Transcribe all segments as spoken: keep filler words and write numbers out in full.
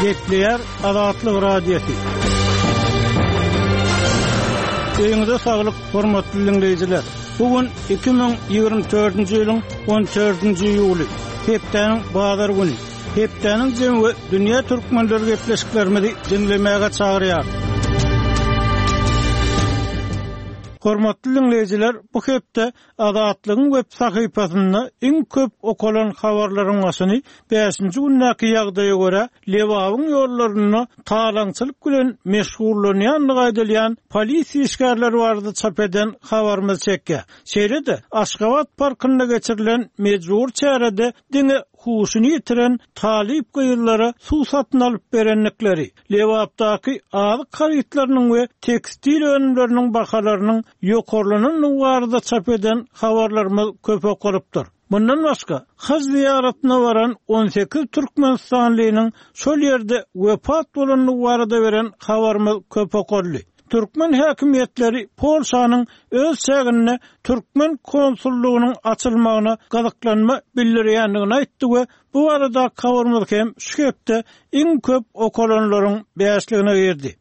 Gepleýär Azatlyk Radiosy. Öýüňize saglyk, hormatly dinleýjiler. Bu gün iki müň ýigrimi dördünji ýylyň on dördünji iýuly, hepdäniň bazar güni. Hepdäniň jemi we dünýä türkmenleri gepleşiklerimizi dinlemäge çagyrýar. Hormatly dinleýjiler, bu hepde Azatlygyň web sahypasynda iň köp okalan habarlaryň başyny bäşinji gündäki ýagdaýa görä Lebabyň ýollarynda talaňçylyk bilen meşgullanýandygy aýdylýan polisiýa işgärleri barada çap eden habarymyz çekýär. Şeýle-de Aşgabat parkynda geçirilen mejbur çärede diňe huşuny ýitiren talyp gyzlara suw satyn alyp berendikleri, Lebapdaky azyk harytlarynyň we tekstil önümleriniň bahalarynyň ýokarlanandygy barada çap eden habarlarymyz köp okalypdyr. Bundan başga, haj zyýaratyna baran on sekiz Türkmenistanlynyň şol ýerde wepat bolandygy barada beren habarymyz köp okaldy. Türkmen häkimiýetleri Polşanyň öz çäginde türkmen konsullygynyň açylmagyna gyzyklanma bildirýändigini aýtdy we bu barada habarymyz hem şu hepde iň köp okalanlaryň bäşligine girdi.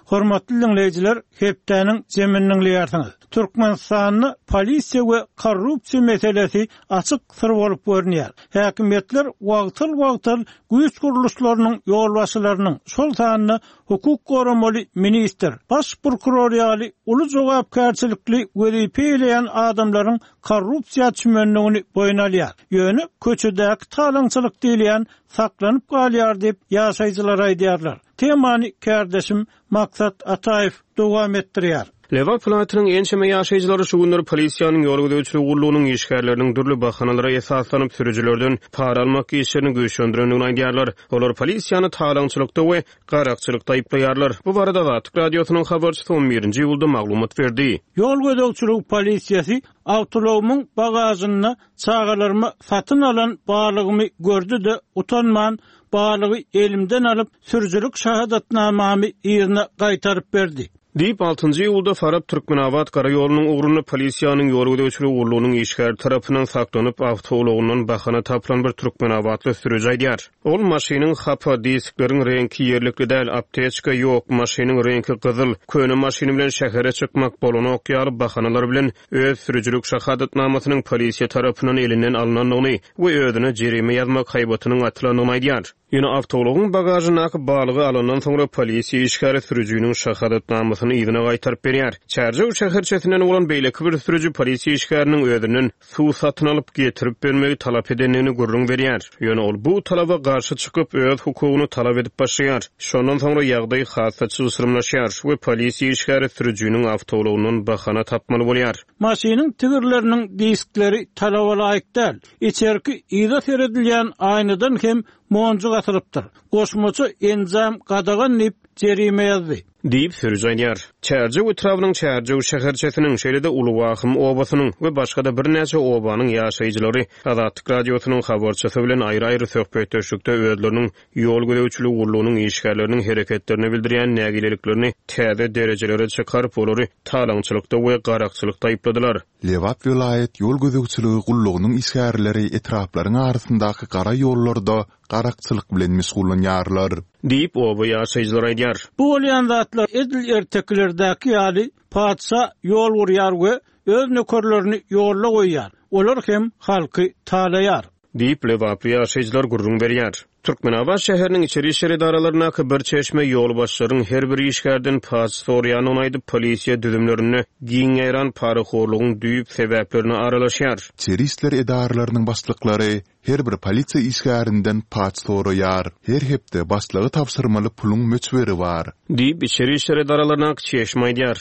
Hormatly dinleýjiler, hepdäniň jemini dinleýärsiňiz. Türkmenistanda polisiýa we korrupsiýa meselesi açyk syr bolup görünýär. Häkimiýetler wagtal-wagtal güýç gurluşlarynyň ýolbaşçylarynyň, şol sanda hukuk goramaly ministr, baş prokuror ýaly uly jogapkärçilikli wezipe eýleýän adamlaryň korrupsiýa çümendigini boýun alýar. Ýöne köçedäki talaňçylyk diýilýän saklanyp galýar diýip ýaşaýjylar aýdýarlar. Temany kärdeşim Maksat Ataýew dowam etdirýär. Lebap welaýatynyň ençeme ýaşaýjylary şu günler polisiýanyň ýol gözegçiligi gullugynyň işgärleriniň dürli bahanalara esaslanyp sürüjilerden para almak işlerini güýçlendirendigini aýdýarlar. Olar polisiýany talaňçylykda we garakçylykda aýyplaýarlar. Bu barada Azatlyk Radiosynyň habarçysy on birinji iýulda maglumat berdi. Ýol gözegçiligi polisiýasy awtoulagymyň bagajynda çagalaryma satyn alan balygymy gördi-de utanman balygy elimden alyp sürüjilik şahadatnamamy ýerine gaýtaryp berdi. Diýip, altynjy iýulda Farap Türkmenabat gara ýolunyň ugrunda polisiýanyň ýol gözegçiligi gullugynyň işgäri tarapyndan saklanyp, awtoulagyndan bahana tapylan bir Türkmenabatly sürüji aýdýar. Ol maşynyň hapa, diskleriň reňki ýerlikli däl, apteçka ýok, maşynyň reňki gyzyl, köne maşyny bilen şähere çykmak bolanok ýaly bahanalar bilen öz sürüjilik şahadatnamasynyň polisiýa tarapyndan elinden alynandygyny we özüne jerime ýazmak haýbatynyň atylandygyny aýdýar. Ýöne awtoulagyň bagajyndaky balygy alandan soňra polisiýa işgäri sürüjiniň şahadatnamasyny yzyna gaýtaryp berýär. Çärjew şäherçesinden bolan beýleki bir sürüji polisiýa işgäriniň özünden suw satyn alyp getirip bermegi talap edendigini gürrüň berýär. Ýöne ol bu talaba garşy çykyp öz hukugyny talap edip başlaýar. Şondan soňra ýagdaý hassa çylşyrymlaşýar we polisiýa işgäri sürüjiniň awtoulagyndan bahana tapmaly bolýar. Maşynyň tigirleriniň diskleri talaba laýyk däl. Içerki yza seredilýän aýnadan hem monjuk atylypdyr. Goşmaça enjam gadagan diýip jerime ýazdy. Diýip sürüji aýdýar. Çärjew etrabynyň Çärjew şäherçesiniň, şeýle-de Uly Wahym obasynyň we başga-da birnäçe obanyň ýaşaýjylary Azatlyk Radiosynyň habarçysy bilen aýry-aýry söhbetdeşlikde özleriniň ýol gözegçiligi gullugynyň işgärleriniň hereketlerine bildirýän nägileliklerini täze derejelere çykaryp, olary talaňçylykda we garakçylykda aýypladylar. Lebap welaýat ýol gözegçiligi gullugynyň işgärleri etraplaryň arasyndaky gara ýollarda garakçylyk bilen meşgullanýarlar. Diýip oba ýaşaýjylar aýdýar. Bu bolýan zatlar edil ertekilerdäki ýaly patyşa ýol gurýar we öz nökerlerini ýolla goýýar. Olar hem halky talaýar. Diýip Lebaply ýaşaýjylar gürrüň berýär. Türkmenabat şäheriniň içeri işler edaralaryndaky bir çeşme ýolbaşçylaryň her bir işgärden paç soraýandygyny aýdyp, polisiýa düzümlerinde giň ýaýran parahorlugyň düýp sebäplerine aralaşýar. Içeri işler edaralarynyň başlyklary her bir polisiýa işgärinden paç soraýar. Her hepde başlygy tabşyrmaly puluň möçberi bar. Diýip içeri işler edaralaryndaky çeşme aýdýar.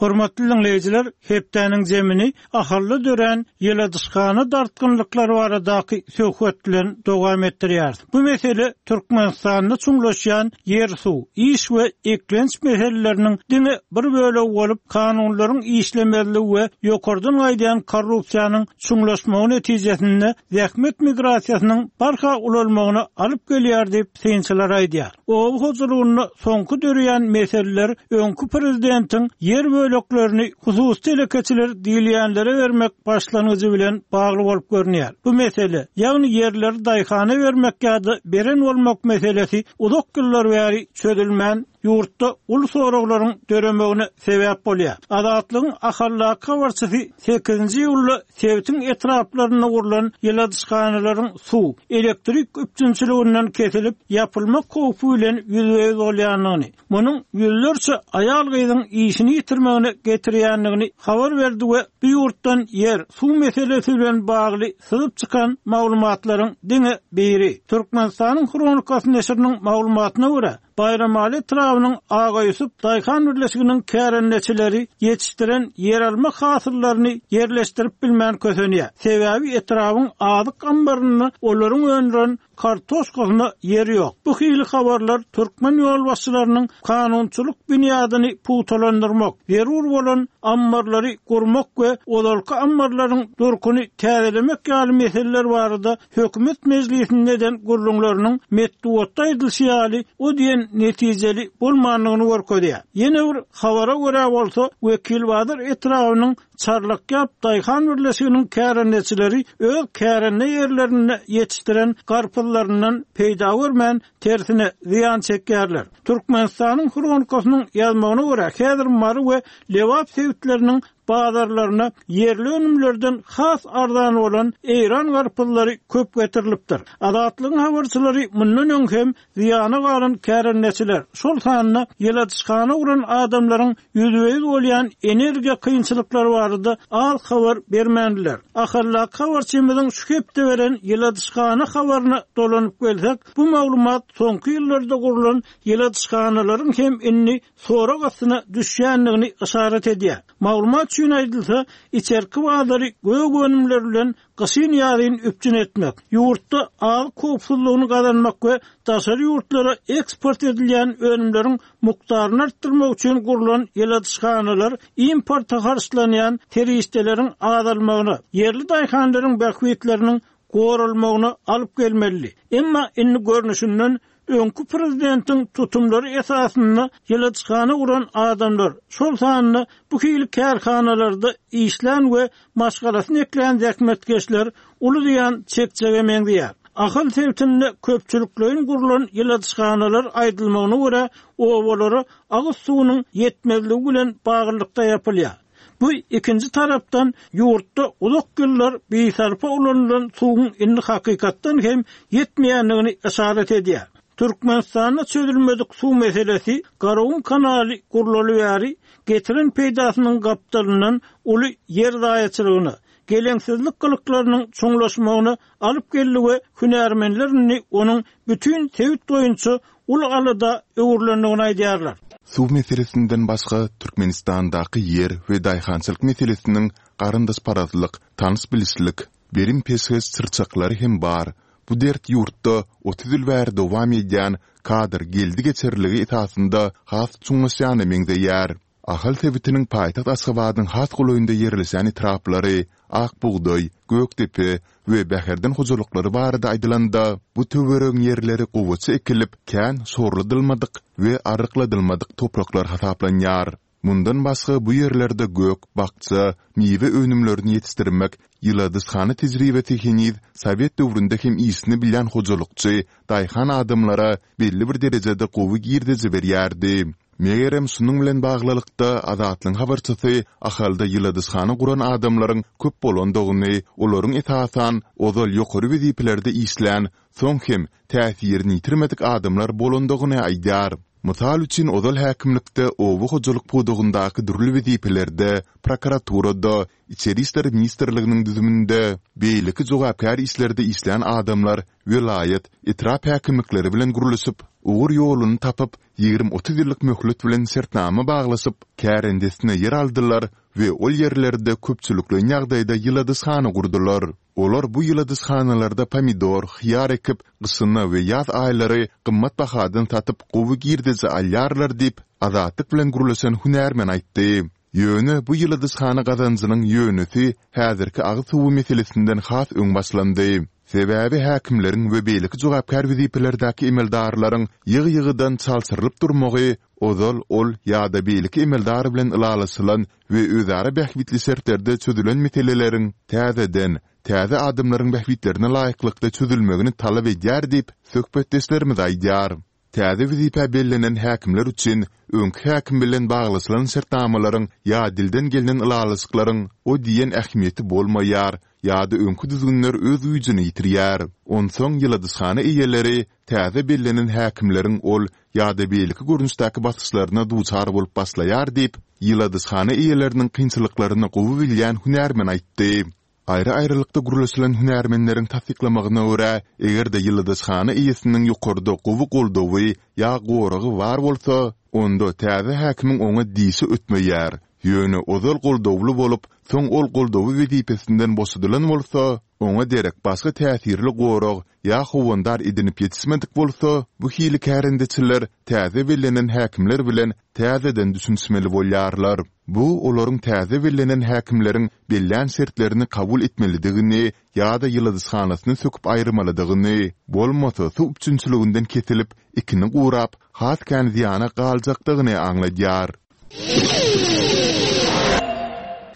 Hormatly dinleýjiler, hepdäniň zemini ahally dörän ýyladyşhana dartgynlyklary baradaky söhbet bilen dowam etdirýär. Bu mesele Türkmenistanda çuňlaşýan ýer-suw, iş we eklenç meseleleriniň diňe bir bölegi bolup, kanunlaryň işlemezligi we ýokardan gaýdýan korrupsiýanyň çuňlaşmagy netijesinde zähmet migrasiýasynyň barha ulalmagyna alyp gelýär diýip synçylar aýdýar. Oba hojalygynda soňky dörýän meseleler öňki prezidentiň ýer böleklerini hususy telekeçiler diýilýänlere bermek başlangyjy bilen bagly bolup görünýär. Bu mesele, ýagny ýerleri daýhana bermek ýa-da beren bolmak meselesi uzak ýyllar bäri çözülmän, ýurtda uly soraglaryň döremegine sebäp bolýar. Azatlygyň Ahaldaky habarçysy sekizinji iýulda sebitiň etraplarynda gurlan ýyladyşhanalaryň suw, elektrik üpjünçiliginden kesilip, ýapylmak howpy bilen ýüzbe-ýüz bolýandygyny, munuň ýüzlerçe aýal-gyzyň işini ýitirmegine getirýändigini habar berdi we bu ýurtdan ýer, suw meselesi bilen bagly syzyp çykan maglumatlaryň diňe biri. Türkmenistanyň Hronikasy neşiriniň maglumatyna görä, Baýramaly etrabynyň Aga Ýusup daýhan birleşiginiň kärendeçileri ýetişdiren ýeralma hasyllaryny ýerleşdirip bilmän kösenýär. Sebäbi etrabyň azyk ambarynda olaryň öndüren kartoşkasyna ýer ýok. Bu hili habarlar türkmen ýolbaşçylarynyň kanunçylyk binýadyny pugtalandyrmak, zerur bolan ammarlary gurmak we ozalky ammarlaryň durkuny täzelemek ýaly meseleler barada hökümet mejlisinde eden gürrüňleriniň metbugatda aýdylyşy ýaly o diýen netijeli bolmandygyny görkezýär. Ýene bir habara görä bolsa, Wekilbazar etrabynyň Çarlakýap daýhan birleşiginiň kärendeçileri öz kärende ýerlerinde ýetişdiren garpyzlaryndan peýda görmän, tersine zyýan çekýärler. Türkmenistanyň Hronikasynyň ýazmagyna görä, häzir Mary we Lebap sebitleriniň bazarlaryna ýerli önümlerden has arzan bolan eýran garpyzlary köp getirilipdir. Azatlygyň habarçylary mundan öň hem zyýana galan kärendeçiler, şol sanda ýyladyşhana guran adamlaryň ýüzbe-ýüz bolýan energiýa kynçylyklary barada az habar bermändiler. Ahaldaky habarçymyzyň şu hepde beren ýyladyşhana habaryna dolanyp gelsek, bu maglumat soňky ýyllarda gurlan ýyladyşhanalaryň hem indi sorag astyna düşýändigini yşarat edýär. Maglumat üçin aýdylsa, içerki bazary gök önümler bilen gyşyn ýazyn üpjün etmek, ýurtda azyk howpsuzlygyny gazanmak we daşary ýurtlara eksport edilýän önümleriň mukdaryny artdyrmak üçin gurlan ýyladyşhanalar importa harçlanýan serişdeleriň azalmagyna, ýerli daýhanlaryň bähbitleriniň goralmagyna alyp gelmeli. Emma indi görnüşinden öňki prezidentiň tutumlary esasynda ýyladyşhana guran adamlar, şol sanda bu hili kärhanalarda işlän we maşgalasyny eklän zähmetkeşler uly zyýan çekjege meňzeýär. Ahal sebitinde köpçülikleýin gurlan ýyladyşhanalar aýdylmagyna görä, obalara agyz suwunyň ýetmezligi bilen baglylykda ýapylýar. Bu ikinji tarapdan ýurtda uzak ýyllar bisarpa ulanylan suwuň indi hakykatdan hem ýetmeýändigini yşarat edýär. Türkmenistanda çözülmedik suw meselesi Garagum kanaly gurlaly bäri getiren peýdasynyň gapdalyndan uly ýer zaýaçylygyna, geleňsizlik gylyklarynyň çuňlaşmagyna alyp geldi we hünärmenler indi onuň bütin sebit boýunça uly alada öwrülendigini aýdýarlar. Suw meselesinden başga Türkmenistandaky ýer we daýhançylyk meselesiniň garyndaşparazlyk, tanyş-bilişlik, berim-peşgeş çyrçaklary hem bar. Bu dert ýurtda otuz ýyl bäri dowam edýän kadr geldi-geçerligi esasynda has çuňlaşýana meňzeýär. Ahal sebitiniň paýtagt Aşgabadyň has golaýynda ýerleşýän etraplary Ak bugdaý, Gökdepe we Bäherden hojalyklary barada aýdylanda, bu töweregiň ýerleri gowaça ekilip, kän şorladylmadyk we arrykladylmadyk topraklar hasaplanýar. Mundan başga bu ýerlerde gök, bakja, miwe önümlerini ýetişdirmek, ýyladyşhana tejribesi heniz sowet döwründe hem işini bilýän hojalykçy, daýhan adamlara belli bir derejede gowy girdeji berýärdi. Megerem şunuň bilen baglylykda Azatlygyň habarçysy Ahalda ýyladyşhana guran adamlaryň köp bolandygyny, olaryň esasan ozal ýokary wezipelerde işlän, soň hem täsirini ýitirmedik adamlar bolandygyny aýdýar. Mysal üçin, ozal häkimlikde oba hojalyk pudagyndaky dürli wezipelerde, prokuraturada, Içeri işler ministrliginiň düzüminde, beýleki jogapkär işlerde işlän adamlar welaýat, etrap häkimlikleri bilen gürleşip, ugur-ýoluny tapyp, ýigrimi-otuz ýyllyk möhlet bilen şertnama baglaşyp, kärendesine ýer aldylar we ol ýerlerde köpçülikleýin ýagdaýda ýyladyşhana gurdular. Olar bu ýyladyşhanalarda pomidor, hyýar ekip, gyşyna we ýaz aýlary gymmat bahadan satyp gowy girdeji alýarlar diýip, Azatlyk bilen gürleşen hünärmen aýtdy. Ýöne bu ýyladyşhana gazanjynyň ýönesi häzirki agyz suwy meselesinden has öň başlandy. Sebäbi häkimleriň we beýleki jogapkär wezipelerdäki emeldarlaryň ýygy-ýygydan çalşyrylyp durmagy ozal ol ýa-da beýleki emeldar bilen ylalaşylan we özara bähbitli şertlerde çözülen meseleleriň täzeden, täze adamlaryň bähbitlerine laýyklykda çözülmegini talap edýär diýip, söhbetdeşlerimiz aýdýar. Täze wezipä bellenen häkimler üçin öňki häkim bilen baglaşylan şertnamalaryň ýa dilden gelnen ylalaşyklaryň o diýen ähmiýeti bolmaýar ýa-da öňki düzgünler öz güýjüni ýitirýär. Onsoň ýyladyşhana eýeleri täze bellenen häkimleriň ol ýa-da beýleki görnüşdäki basyşlaryna duçar bolup başlaýar diýip, ýyladyşhana eýeleriniň kynçylyklaryny gowy bilýän hünärmen aýtdy. Aýry-aýrylykda gürleşilen hünärmenleriň tassyklamagyna görä, eger-de ýyladyşhana eýesiniň ýokarda gowy goldawy ýa goragy bar bolsa, onda täze häkimiň oňa dişi ötmeýär. Ýöne ozal goldawly bolup, soň ol goldawy wezipesinden boşadylan bolsa, oňa derek başga täsirli gorag ýa howandar edinip ýetişmedik bolsa, bu hili kärendeçiler täze bellenen häkimler bilen täzeden düşünişmeli bolýarlar. Bu olaryň täze bellenen häkimleriň bellän şertlerini kabul etmelidigini ýa-da ýyladyşhanasyny söküp aýyrmalydygyny, bolmasa suw üpjünçiliginden kesilip, ekini gurap, has kän zyýana galjakdygyny aňladýar.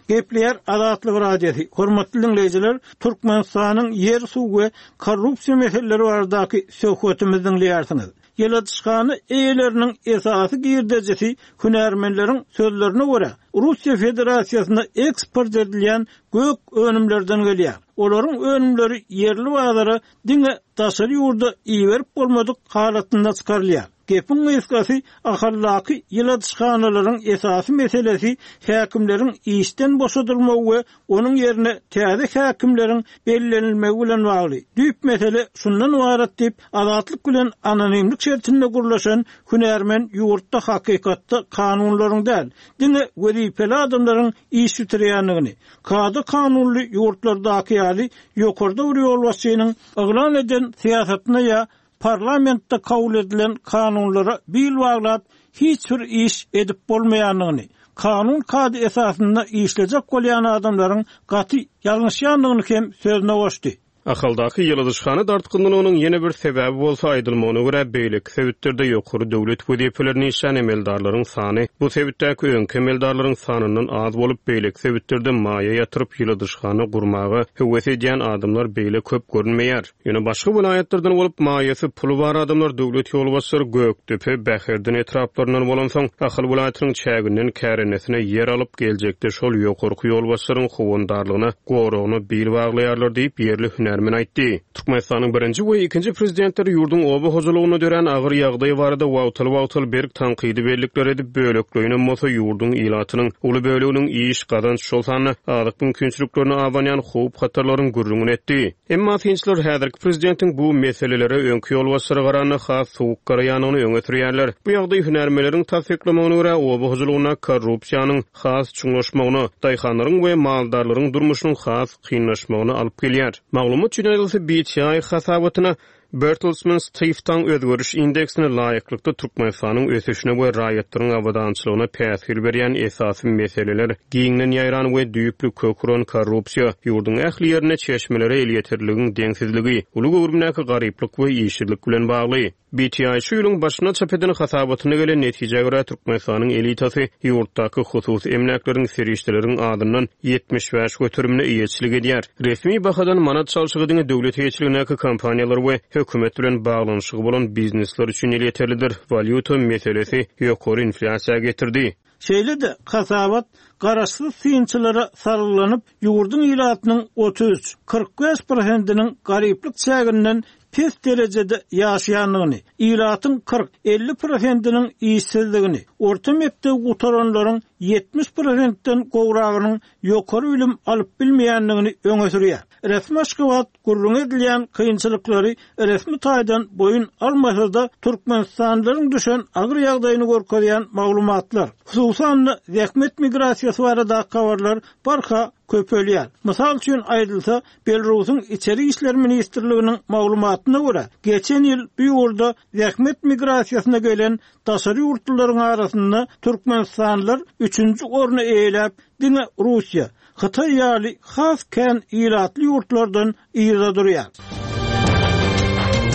Gepleýär Azatlyk Radiosy. Hormatly diňleýjiler, Türkmenistanyň ýer-suw we korrupsiýa meseleleri baradaky söhbetimizi diňleýärsiňiz. Ýyladyşhana eýeleriniň esasy girdejisi hünärmenleriň sözlerine görä, Russiýa Federasiýasyna eksport edilýän gök önümlerden gelýär. Olaryň önümleri ýerli bazara diňe daşary ýurda iberip bolmadyk halatynda çykarylýar. Gepiň gysgasy, Ahaldaky ýyladyşhanalaryň esasy meselesi häkimleriň işden boşadylmagy we onuň ýerine täze häkimleriň bellenilmegi bilen bagly. Düýp mesele şundan ybarat diýip, Azatlyk bilen anonimlik şertinde gürleşen hünärmen ýurtda hakykatda kanunlaryň däl, diňe wezipeli adamlaryň iş bitirýändigini, kada-kanunly ýurtlardaky ýaly ýokarda bir ýolbaşçynyň yglan eden syýasatyna ýa parlamentde kabul edilen kanunlara bil baglap hiç bir iş edip bolmaýandygyny, kanun-kada esasynda işlejek bolýan adamlaryň gaty ýalňyşýandygyny hem sözüne goşdy. Ahaldaky ýyladyşhana dartgynlygynyň ýene bir sebäbi bolsa, aýdylmagyna görä, beýleki sebitlerde ýokary döwlet wezipelerini işlän emeldarlaryň sany bu sebitdäki öňki emeldarlaryň sanyndan az bolup, beýleki sebitlerde maýa ýatyryp ýyladyşhana gurmaga höwes edýän adamlar beýle köp görünmeýär. Ýöne başga welaýatlardan bolup, maýasy, puly bar adamlar döwlet ýolbaşçylary Gökdepe, Bäherden etraplaryndan bolansoň, Ahal welaýatynyň çäginden kärendesine ýer alyp, geljekde şol ýokarky ýolbaşçylaryň howandarlygyna, goragyna bil baglaýarlar diýip, ýerli hünärmen aýtdy. Türkmenistanyň birinji we ikinji prezidentleri ýurduň oba hojalygynda dörän agyr ýagdaý barada wagtal-wagtal berk tankydy bellikler edip, bölekleýinem bolsa ýurduň ilatynyň uly böleginiň iş, gazanç, şol sanda azyk mümkinçiliklerine abanýan howp-hatarlaryň gürrüňini etdi. Emma synçylar häzirki prezidentiň bu meselelere öňki ýolbaşçylara garanda has sowuk garaýandygyny öňe sürýärler. Bu ýagdaý hünärmenleriň tassyklamagyna görä, oba hojalygynda korrupsiýanyň has çuňlaşmagyna, daýhanlaryň we maldarlaryň durmuşynyň has kynlaşmagyna alyp gelýär. Maglumat üçin aýdylsa, B T I hasabatyna Bertelsmann Stiftung özgeriş indeksine laýyklykda Türkmenistanyň ösüşine we raýatlaryň abadançylygyna päsgel berýän esasy meseleler giňden ýaýran we düýpli kök uran korrupsiýa, ýurduň ähli ýerinde çeşmelere elýeterligiň deňsizligi, uly göwrümdäki garyplyk we işsizlik bilen bagly. B T I şu ýylyň başynda çap eden hasabatyna gelen netijä görä, Türkmenistanyň elitasy ýurtdaky hususy emläkleriň serişdeleriň azyndan ýetmiş bäş göterimine eýeçilik edýär. Resmi bahadan manat çalşygy diňe döwlet eýeçiligindäki kompaniýalar we hökümet bilen baglanyşygy bolan biznesler üçin elýeterlidir. Walýuta meselesi ýokary inflýasiýa getirdi. Şeýle-de hasabat garaşsyz synçylara salgylanyp, ýurduň ilatynyň otuz üç, kyrk bäş prosentiniň garyplyk çäginden pes derejede ýaşaýandygyny, ilatyň kyrk, elli prosentiniň işsizligini, orta mekdep gutaranlaryň ýetmiş prosentden gowragynyň ýokary bilim alyp bilmeýändigini öňe sürýär. Resmi Aşgabat gürrüň edilýän kynçylyklary resmi taýdan boýun almasa-da, Türkmenistanlylaryň düşen agyr ýagdaýyny görkezýän maglumatlar, hususan-da zähmet migrasiýasy baradaky habarlar barha köpelýär. Mysal üçin aýdylsa, Belarusyň Içeri işler ministrliginiň maglumatyna görä, geçen ýyl bu ýurda zähmet migrasiýasyna gelen daşary ýurtlularyň arasynda Türkmenistanlylar üçünji orny eýeläp, diňe Russiýa, Hytaý ýaly has kän ilatly ýurtlardan yza durýar.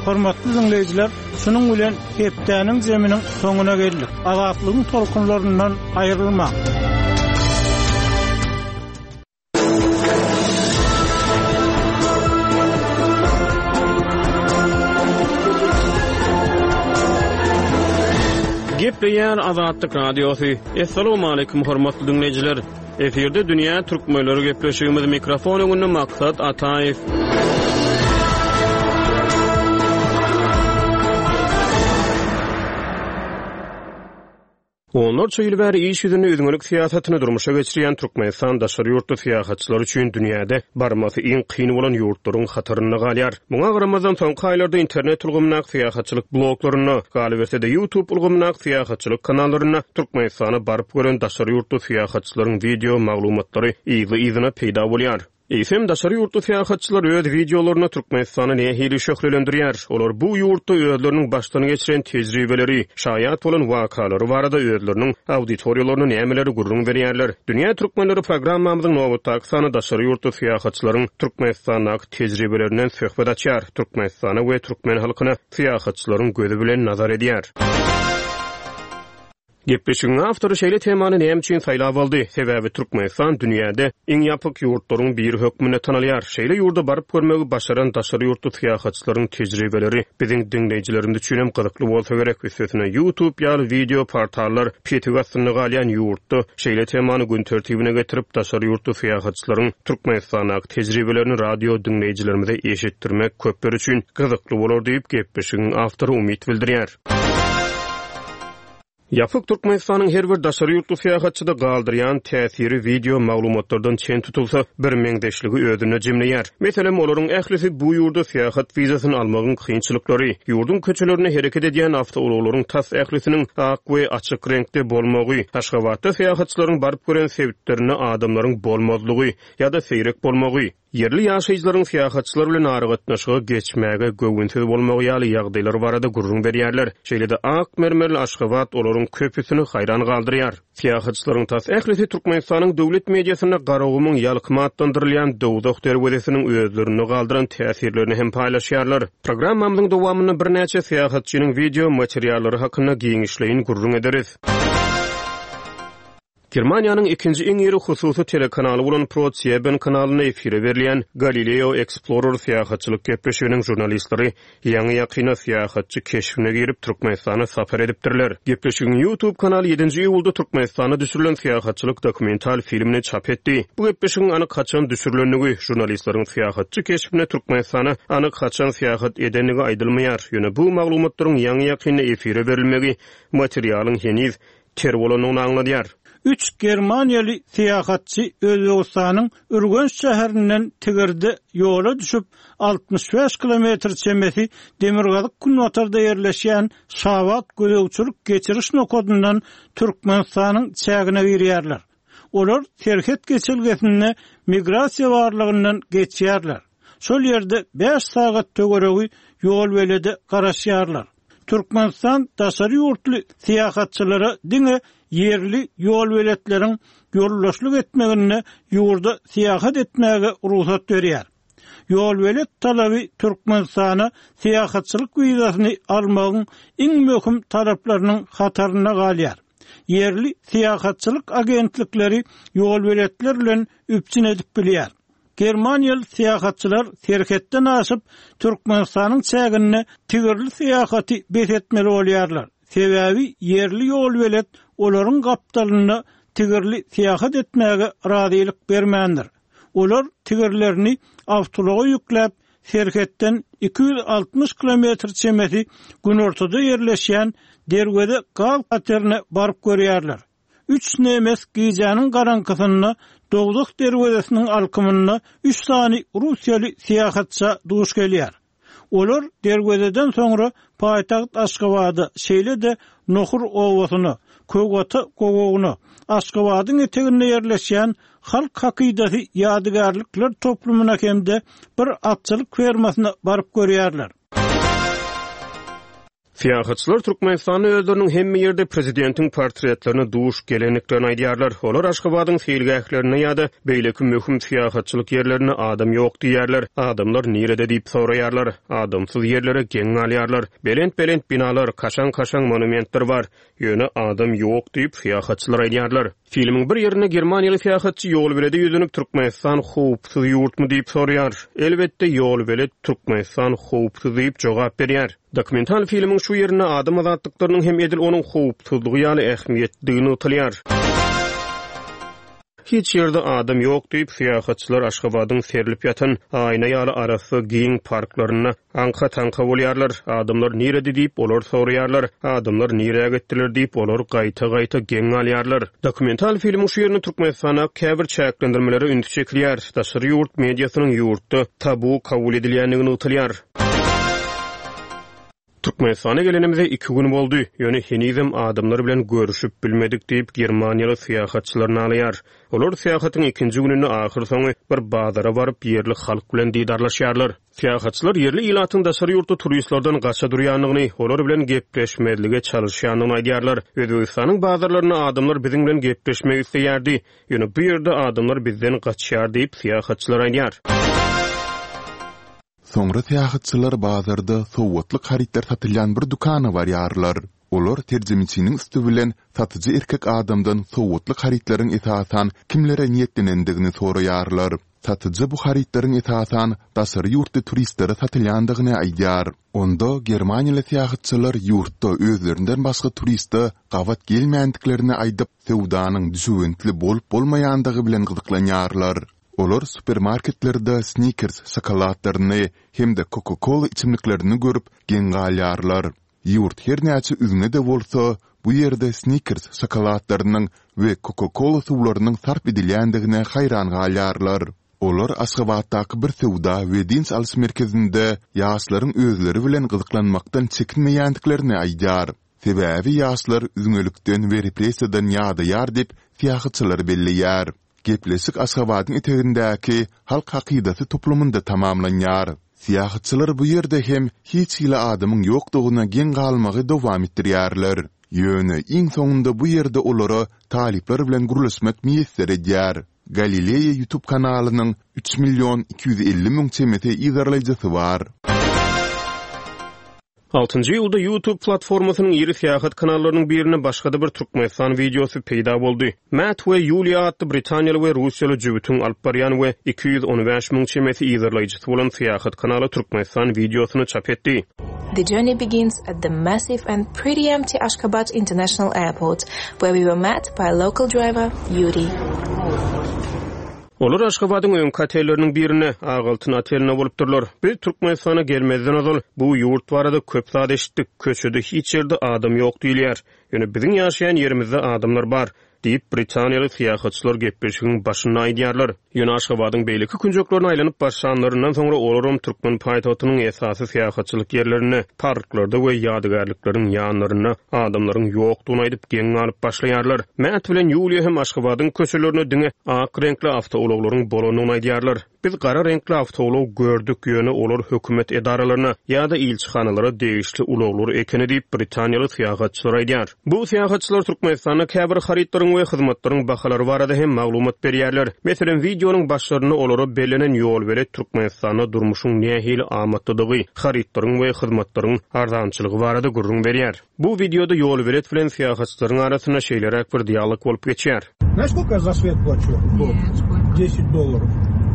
Hormatly dinleýjiler, şunuň bilen hepdäniň zeminiň soňuna geldik. Azatlygyň tolkunlaryndan aýrylmaň. Gepleýär Azatlyk Radiosy. Essalamu aleýkum hormatly dinleýjiler. Efirde Dünýä Türkmenleri gepleşigimiz mikrofon öňünde Maksat Ataýew. Onlarça ýyl bäri iş ýüzünde üzňelik syýasatyny durmuşa geçirýän Türkmenistan daşary ýurtly syýahatçylar üçin dünýäde barmasy iň kyn bolan ýurtlaryň hatarynda galýar. Muňa garamazdan soňky aýlarda internet ulgamyndaky syýahatçylyk bloglarynda, galyberse-de YouTube ulgamyndaky syýahatçylyk kanallarynda Türkmenistana baryp gören daşary ýurtly syýahatçylaryň wideo maglumatlary yzly-yzyna peýda bolýar. Eýsem daşary ýurtly syýahatçylar öz wideolarynda Türkmenistany nähili şöhlelendirýär? Olar bu ýurtda özleriniň başdan geçiren tejribeleri, şaýat bolan wakalary barada özleriniň auditoriýalaryna nämeleri gürrüň berýärler? Dünýä Türkmenleri programmamyzyň nobatdaky sany daşary ýurtly syýahatçylaryň Türkmenistandaky tejribelerinden söhbet açýar. Türkmenistana we türkmen halkyna syýahatçylaryň gözi bilen nazar edýär. Gepleşigiň awtory şeýle temany näme üçin saýlap aldy? Sebäbi Türkmenistan dünýäde iň ýapyk ýurtlaryň biri hökmünde tanalýar. Şeýle ýurda baryp görmegi başaran daşary ýurtly syýahatçylaryň tejribeleri biziň diňleýjilerimiz üçin hem gyzykly bolsa gerek. Üstesine YouTube ýaly wideo portallar petik astynda galýan ýurtda şeýle temany gün tertibine getirip daşary ýurtly syýahatçylaryň Türkmenistandaky tejribelerini radio diňleýjilerimize eşitdirmek köpler üçin gyzykly bolar diýip gepleşigiň awtory umyt bildirýär. Ýapyk Türkmenistanyň her bir daşary ýurtly syýahatçyda galdyrýan täsiri wideo maglumatlardan çen tutulsa bir meňzeşligi özünde jemleýär. Meselem, olaryň ählisi bu ýurda syýahat wizasyny almagyň kynçylyklary, ýurduň köçelerinde hereket edýän awtoulaglaryň tas ählisiniň ak we açyk reňkde bolmagy, Aşgabatda syýahatçylaryň baryp gören sebitlerinde adamlaryň bolmazlygy ýa-da seýrek bolmagy, ýerli ýaşaýjylaryň syýahatçylar bilen aragatnaşyga geçmäge göwünsiz bolmagy ýaly ýagdaýlar barada gürrüň berýärler. Şeýle-de ak mermerli Aşgabat olaryň köpüsini haýran galdyrýar. Syýahatçylaryň tas ählisi Türkmenistanyň döwlet mediasynda Garagumuň ýalkymy atlandyrylýan Dowzah derwezesiniň özlerinde galdyran täsirlerini hem paýlaşýarlar. Programmamyzyň dowamynda birnäçe syýahatçynyň wideo materiallary hakynda giňişleýin gürrüň ederis. Germaniýanyň ikinji iň iri hususy telekanaly bolan ProSieben kanalynda efire berilýän Galileo Explorer syýahatçylyk gepleşiginiň žurnalistleri ýaňy ýakyna syýahatçy keşbine girip Türkmenistana sapar edipdirler. Gepleşigiň YouTube kanaly ýedinji iýulda Türkmenistana düşürilen syýahatçylyk dokumental filmini çap etdi. Bu gepleşigiň anyk haçan düşürilendigi, žurnalistleriň syýahatçy keşbine Türkmenistana anyk haçan syýahat edendigi aýdylmaýar. Ýöne bu maglumatlaryň ýaňy ýakynda efire berilmegi materialyň heniz ter bolandygyny aňladýar. Üç Germaniýaly syýahatçy Özbegistanyň Ürgenç şäherinden Tigirde ýola düşüp altmyş bäş kilometr çemesi Demirgazyk günbatarda ýerleşýän Şabat gözegçilik geçiriş nokadyndan Türkmenistanyň çägine girýärler. Olar serhet geçelgesinde migrasiýa barlygyndan geçýärler. Şol ýerde bäş sagat töweregi ýol belede garaşýarlar. Türkmenistan daşary ýurtly syýahatçylara diňe ýerli ýol beletleriň ýoldaşlyk etmeginde ýurda syýahat etmäge rugsat berýär. Ýol belet talaby Türkmenistana syýahatçylyk wizasyny almagyň iň möhüm talaplarynyň hatarynda galýar. Ýerli syýahatçylyk agentlikleri ýol beletler bilen üpjün edip bilýär. Germaniýaly syýahatçylar serhetden aşyp Türkmenistanyň çäginde tigirli syýahaty bes etmeli bolýarlar. Sebäbi ýerli ýol belet olaryň gapdalynda tigirli syýahat etmäge razylyk bermändir. Olar tigirlerini awtoulaga ýükläp serhetden iki ýüz altmyş kilometr çemesi günortada ýerleşýän Derweze gaz katerine baryp görýärler. Üç nemes gijäniň garaňkysynda Dowzah derwezesiniň alkymynda üç sany Russiýaly syýahatça duş gelýär. Olar derwezeden soňra paýtagt Aşgabada, şeýle-de Nohur owasyna, Kögata gowagyna, Aşgabadyň eteginde ýerleşýän Halk hakydasy ýadygärlikler toplumyna hem-de bir atçylyk fermasyna baryp görýärler. Syýahatçylar Türkmenistanda özleriniň hemme ýerde prezidentiň portretlerine duş gelendiklerini aýdýarlar. Olar Aşgabadyň seýilgählerinde ýa-da beýleki möhüm syýahatçylyk ýerlerinde adam ýok diýýärler. Adamlar nirede diýip soraýarlar. Adamsyz ýerlere geň galýarlar. Belent-belent binalar, kaşaň-kaşaň monumentler bar. Ýöne adam ýok diýip, syýahatçylar aýdýarlar. Filmiň bir ýerinde germaniýaly syýahatçy ýolbelede ýüzlenip, Türkmenistan howpsuz ýurtmy diýip soraýar. Elbetde, ýolbelet Türkmenistan howpsuz diýip jogap berýär. Dokumental filmiň şu ýerinde adam azatlyklarynyň hem edil onuň howpsuzlygy ýaly ähmiýetlidigi nygtalýar. Hiç ýerde adam ýok diýip, syýahatçylar Aşgabadyň serlip ýatan aýna ýaly arassa giň parklarynda aňka-taňka bolýarlar. Adamlar nirede diýip, olar soraýarlar. Adamlar nirä gitdiler diýip, olar gaýta-gaýta geň galýarlar. Dokumental filmiň şu ýerinde Türkmenistanda käbir çäklendirmelere üns çekilýär. Daşary ýurt mediasynyň ýurtda tabu kabul edilýändigi nygtalýar. Türkmenistana gelenimize iki gün boldy, ýöne henizem adamlar bilen görüşip bilmedik diýip, germaniýaly syýahatçylar nalaýar. Olar syýahatyň ikinji gününde ahyrsoňy bir bazara baryp, ýerli halk bilen didarlaşýarlar. Syýahatçylar ýerli ilatyň daşary ýurtly turistlerden gaça durýandygyny, olar bilen gepleşmezlige çalyşýandygyny aýdýarlar. Özbegistanyň bazarlarynda adamlar biziň bilen gepleşmek isleýärdi, ýöne bu ýerde adamlar bizden gaçýar diýip, syýahatçylar aýdýar. Soňra syýahatçylar bazarda sowgatlyk harytlar satylýan bir dükana barýarlar. Olar terjimeçiniň üsti bilen satyjy erkek adamdan sowgatlyk harytlaryň esasan kimlere niýetlenendigini soraýarlar. Satyjy bu harytlaryň esasan daşary ýurtly turistlere satylýandygyny aýdýar. Onda germaniýaly syýahatçylar ýurtda özlerinden başga turiste gabat gelmändiklerini aýdyp, söwdanyň düşewüntli bolup-bolmaýandygy bilen gyzyklanýarlar. Olar supermarketlerde Snickers şokoladlaryny hem-de Coca-Cola içimliklerini görüp, geň galýarlar. Ýurt her näçe üzňe-de bolsa, bu ýerde Snickers şokoladlarynyň we Coca-Cola suwlarynyň sarp edilýändigine haýran galýarlar. Olar Aşgabatdaky bir söwda we dynç alyş merkezinde ýaşlaryň özleri bilen gyzyklanmakdan çekinmeýändiklerini aýdýar. Sebäbi ýaşlar üzňelikden we repressiýadan ýadaýar diýip, syýahatçylar belleýär. Gepleşik Aşgabadyň etegindäki Halk hakydasy toplumynda tamamlanýar. Syýahatçylar bu ýerde hem hiç hili adamyň ýokdugyna geň galmagy dowam etdirýärler. Ýöne iň soňunda bu ýerde olara talyplar bilen gürleşmek miýesser edýär. Galileýa YouTube kanalynyň üç million iki ýüz elli müň çemesi yzarlaýjysy bar. Altynjy iýulda YouTube platformasynyň iri syýahat kanallarynyň birinde başga-da bir Türkmenistan wideosy peýda boldy. Matt we Ýuliýa atly britaniýaly we russiýaly jübütiň alyp barýan we iki ýüz on bäş müň çemesi yzarlaýjysy bolan syýahat kanaly Türkmenistan wideosyny çap etdi. The journey begins at the massive and pretty empty Ashgabat International Airport, where we were met by local driver Yuri. Olar Aşgabadyň öňki otelleriniň birinde, Ak altyn otelinde bolupdyrlar. Biz Türkmenistana gelmezden ozal bu ýurt barada köp zat eşitdik. Köçede hiç ýerde adam ýok diýilýär. Ýöne biziň ýaşaýan ýerimizde adamlar bar, diýip, britaniýaly syýahatçylar gepleşigiň başynda aýdýarlar. Ýöne Aşgabadyň beýleki künjeklerine aýlanyp başlanlaryndan soňra olaram türkmen paýtagtynyň esasy syýahatçylyk ýerlerinde, parklarda we ýadygärlikleriň ýanlarynda adamlaryň ýokdugyny aýdyp geň galyp başlaýarlar. Matt bilen Ýuliýa hem Aşgabadyň köçelerinde diňe ak reňkli awtoulaglaryň bolandygyny aýdýarlar. Biz gara reňkli awtoulag gördük, ýöne olar hökümet edaralaryna ýa-da ilçihanalara degişli ulaglar ekeni diýip, britaniýaly syýahatçylar aýdýar. Bu syýahatçylar Türkmenistanda käbir harytlaryň we hyzmatlaryň bahalary barada hem maglumat berýärler. Meselem, wideonyň başlarynda olara bellenen ýolbelet Türkmenistanda durmuşyň nähili amatlydygy, harytlaryň we hyzmatlaryň arzançylygy barada gürrüň berýär. Bu wideoda ýolbelet bilen syýahatçylaryň arasynda şeýleräk bir dialog bolup geçýär. Знаешь, сколько я за свет плачу? В год. Нет, сколько? Десять долларов.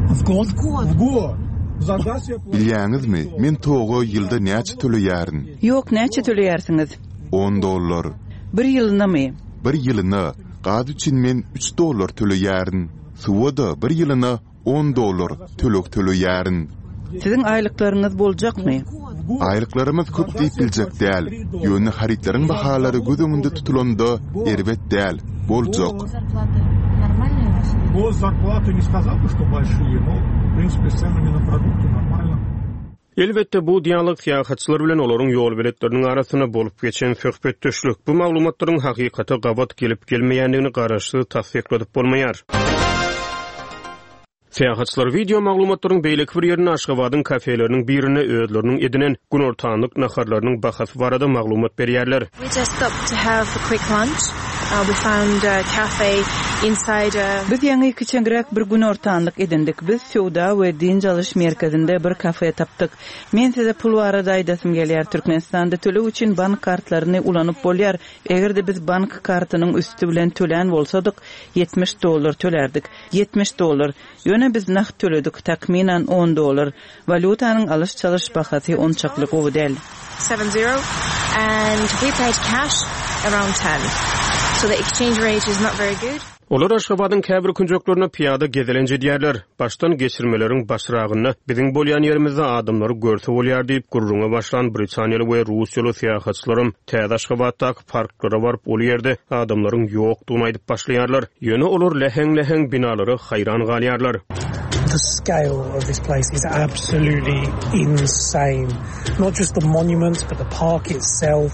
В год? В год. В год. За газ я плачу. Bilýäňizmi, men toga ýylda näçe töleýärin? Ýok, näçe töleýärsiňiz? On dollar. Bir ýylynamy? Bir ýylyna. Gaz üçin men üç dollar töleýärin. Suwa-da bir ýylyna on dollar töleg töleýärin. Siziň aýlyklaryňyz boljakmy? Aýlyklarymyz köp diýip biljek däl. Ýöne harytlaryň bahalary göz öňünde tutulanda erbet däl, boljak. Госзарплаты не сказал бы, что большие, но, в принципе, с ценами на продукты нормально. Elbetde, bu dialog syýahatçylar bilen olaryň ýolbeletleriniň arasynda bolup geçen söhbetdeşlik. Bu maglumatlaryň hakykata gabat gelip gelmeýändigini garaşsyz tassykladyp bolmaýar. Syýahatçylar wideo maglumatlaryň beýleki bir ýerinde Aşgabadyň kafeleriniň birinde özleriniň edinen günortanlyk naharlarynyň bahasy barada maglumat berýärler. We just stopped to have a quick lunch. Uh, we found a cafe inside a Biz ýaňy kiçeňräk bir günortanlyk edindik. Biz söwda we dynç alyş merkezinde bir kafe tapdyk. Men size pul barada aýdasym gelýär. Türkmenistanda töleg üçin bank kartlaryny ulanyp bolýar. Eger-de biz bank kartynyň üsti bilen tölän bolsadyk, ýetmiş dollar tölerdik. ýetmiş dollar. Ýöne biz nagt töledik, takmynan on dollar. Walýutanyň alyş-çalyş bahasy onçakly gowy däl. Seven zero and we paid cash around ten. So the exchange rate is not very good. Olar Aşgabadyň käbir künjeklerine pyýada gezelenç edýärler. Başdan geçirmeleriň başragynda biziň bolýan ýerimizde adamlary görse bolýar diýip gürrüňe başlan Britaniýaly we Russiýaly syýahatçylaram täze Aşgabatdaky parklara baryp, ol ýerde adamlaryň ýokdugyny aýdyp başlaýarlar. Ýöne olar läheň-läheň binalara haýran galýarlar. The scale of this place is absolutely insane. Not just the monuments, but the park itself,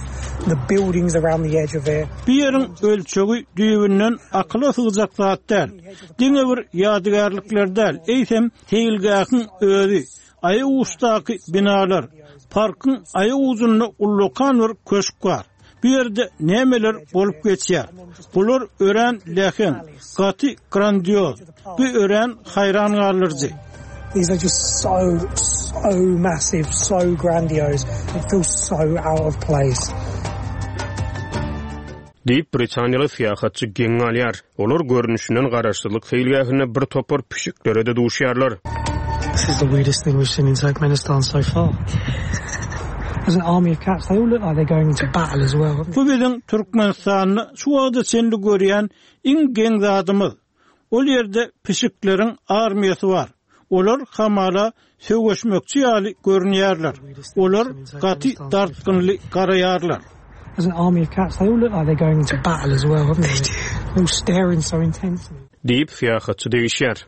the buildings around the edge of it. Bu ýeriň ölçegi düýbünden akyla sygjak zat däl. Diňe bir ýadygärlikler däl, eýsem seýilgähiň özi, aýaguçdaky binalar, parkyň aýagujunda ullakan bir köşk bar. Bu ýerde nämeler bolup geçýär? Bular örän läheň, gaty grandioz, bu örän haýran galdyryjy. These are just so, so massive, so grandiose. It feels so out of place. Diýip Britaniýaly syýahatçy geň galýar. Olar görnüşinden garaşsyzlyk seýilgähinde bir topar pişiklere-de duşýarlar. This is the weirdest thing we've seen in Turkmenistan so far. There's an army of cats. They all look like they're going into battle as well. Bu biziň Türkmenistanda şu wagta çenli görýän iň geň zadymyz. Ol ýerde pişikleriň armiýasy bar. Olar hamala söweşmekçi ýaly görünýärler. Olar gaty dartgynly garaýarlar. There's an army of cats. They all look like they're going into battle as well, haven't they? They're all staring so intensely. Diýip syýahatçy degişýär.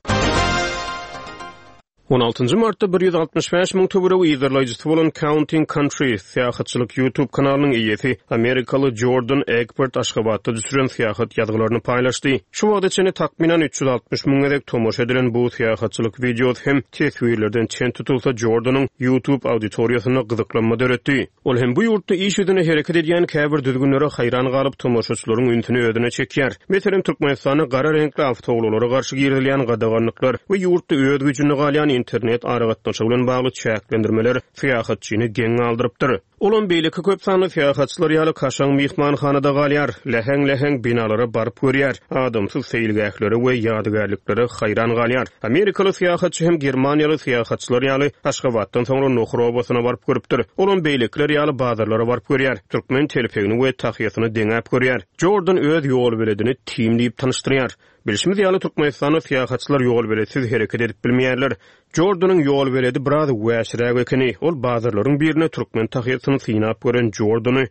On altynjy martda bir ýüz altmyş bäş müň töweregi yzarlaýjysy bolan Counting Countries syýahatçylyk YouTube kanalynyň eýesi Amerikaly Jordan Egbert Aşgabatda düşüren syýahat ýazgylaryny paýlaşdy. Şu wagta çenli takmynan üç ýüz altmyş müň gezek tomaşa edilen bu syýahatçylyk wideosy hem teswirlerden çen tutulsa Jordanyň YouTube auditoriýasynda gyzyklanma döretdi. Ol hem bu ýurtda iş ýüzüne hereket edýän käbir düzgünlere haýran galyp tomaşaçylaryň ünsüni özüne çekýär. Meselem, Türkmenistanda gara reňkli awtoulaglara garşy girizilýän gadaganlyklar we ýurtda öz güýjünde galýan internet aragatnaşygy bilen bagly çäklendirmeler syýahatçyny geň galdyrypdyr. Olam beýleki köp sanly syýahatçylar ýaly kaşaň myhmanhanada galýar, läheň-läheň binalara baryp görýär, adamsyz seýilgählere we ýadygärliklere haýran galýar. Amerikaly syýahatçy hem Germaniýaly syýahatçylar ýaly Aşgabatdan soňra Nohur obasyna baryp görüpdir. Olam beýlekiler ýaly bazarlara baryp görýär, türkmen telpegini we tahyýasyny deňäp görýär. Jordan öz ýol beledini Tim diýip tanyşdyrýar. Bilşimiz ýaly Türkmenistanda syýahatçylar ýol beletsiz hereket edip bilmeýärler. Jordanyň ýol beledi biraz wäşiräk ekeni. Ol bazarlaryň birine türkmen tahyýasyny synap gören Jordany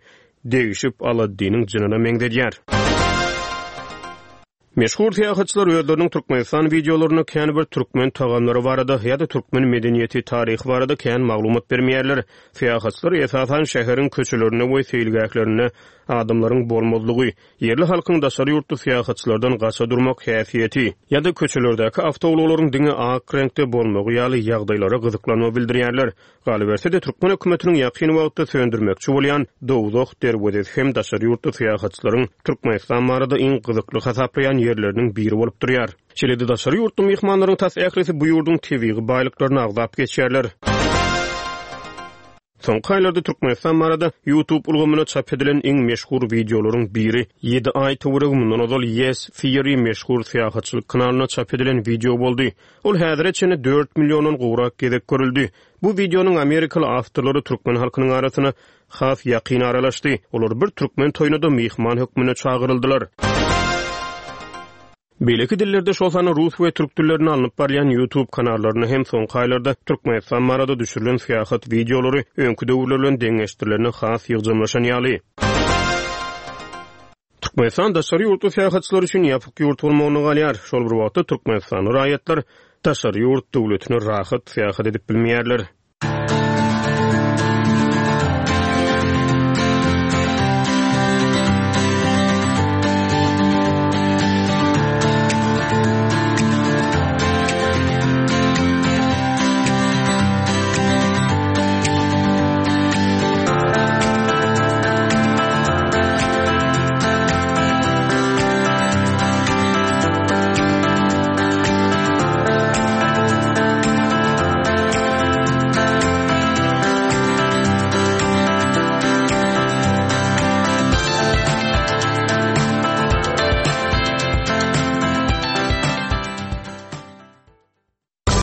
degişip Aladdiniň jynyna meňzedýär. Meşhur syýahatçylar özleriniň Türkmenistan wideolarynda kän bir türkmen tagamlary barada ýa-da türkmen medeniýeti taryhy barada kän maglumat bermeýärler. Syýahatçylar esasan şäheriň köçelerinde we seýilgählerinde adamlaryň bolmazlygy, ýerli halkyň daşary ýurtly syýahatçylardan gaça durmak häsiýeti ýa-da köçelerdäki awtoulaglaryň diňe ak reňkde bolmagy ýaly ýagdaýlara gyzyklanma bildirýärler. Galyberse-de türkmen hökümetiniň ýakyn wagtda söndürmekçi bolýan Dowzah derwezesi hem daşary ýurtly syýahatçylaryň Türkmenistan barada iň gyzykly hasaplaýan ýerleriniň biri bolup durýar. Şeýle-de daşary ýurtly myhmanlaryň tas ählisi bu ýurduň tebigy baýlyklaryny agzap geçýärler. Soňky aýlarda Türkmenistan barada YouTube ulgamyna çap edilen iň meşhur wideolaryň biri ýedi aý töweregi mundan ozal Yes Theory meşhur syýahatçylyk kanalyna çap edilen wideo boldy. Ol häzire çenli dört milliondan gowrak gezek görüldi. Bu wideonyň Amerikaly awtorlary türkmen halkynyň arasyna has ýakyn aralaşdy. Olar bir türkmen toýuna-da myhman hökmünde çagyryldylar. Beýleki dillerde şol sanda rus we türk dillerinde alnyp barýan YouTube kanallaryny hem soňky aýlarda Türkmenistan barada düşürilen syýahat wideolary öňki döwürler bilen deňeşdirilerine has ýygjamlaşan ýaly. Türkmenistan daşary ýurtly syýahatçylar üçin ýapyk ýurt bolmagyna galýar. Şol bir wagtda Türkmenistanly raýatlar daşary ýurt döwletine rahat syýahat edip bilmeýärler.